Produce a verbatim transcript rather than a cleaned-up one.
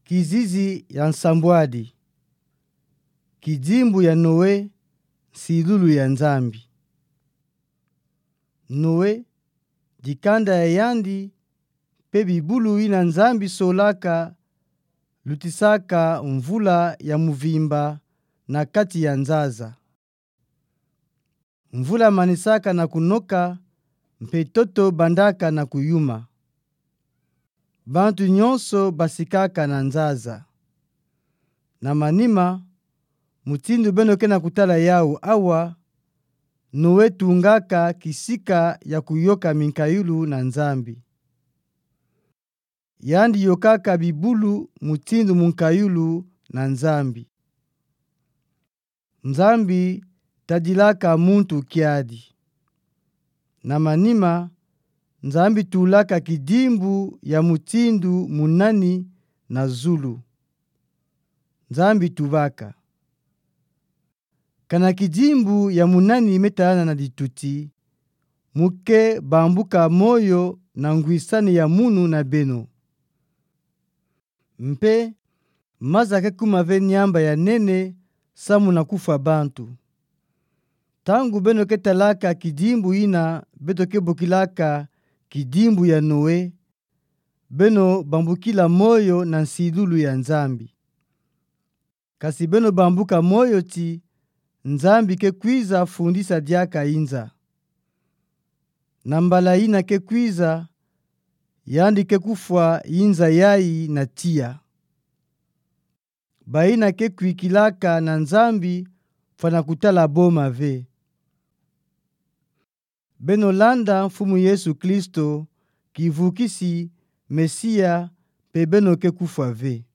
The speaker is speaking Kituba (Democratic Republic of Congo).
Kizizi ya nsambwadi. Kidimbu ya Noe, nsilulu ya Nzambi. Noe, dikanda ya yandi, mpe bibulu yina Nzambi solaka, lutisaka mvula ya mvimba na kati ya nzaza. Mvula manisaka na kunoka, mpe ntoto bandaka na kuyuma. Bantu nyonso basikaka na nzaza. Na manima, mutindu beno ke na kutala yawu awa, Noe tungaka kisika ya kuyoka minkayulu na Nzambi. Yandi yokaka bibulu mutindu munkayulu na Nzambi. Nzambi tadilaka muntu kiadi. Na manima, Nzambi tulaka kidimbu ya mutindu munani na zulu. Nzambi tubaka: Kana kidimbu ya munani me talana na dituti, mu ke bambuka moyo na ngwisani ya munu na beno. Mpe maza ke kuma ve niamba ya nene samu na kufwa bantu. Ntangu beno ke talaka kidimbu yina beto ke bokilaka kidimbu ya Noe, beno bambukila moyo na nsilulu ya Nzambi. Kasi beno bambuka moyo ti Nzambi ke kwiza fundisa diaka inza. Na mbala yina ke kwiza, yandi ke kufwa inza yayi na tiya. Bayina ke kwikilaka na Nzambi fwana kutala boma ve. Beno landa Mfumu Yesu Kristo, kivukisi, Mesia, mpe beno ke kufwa ve.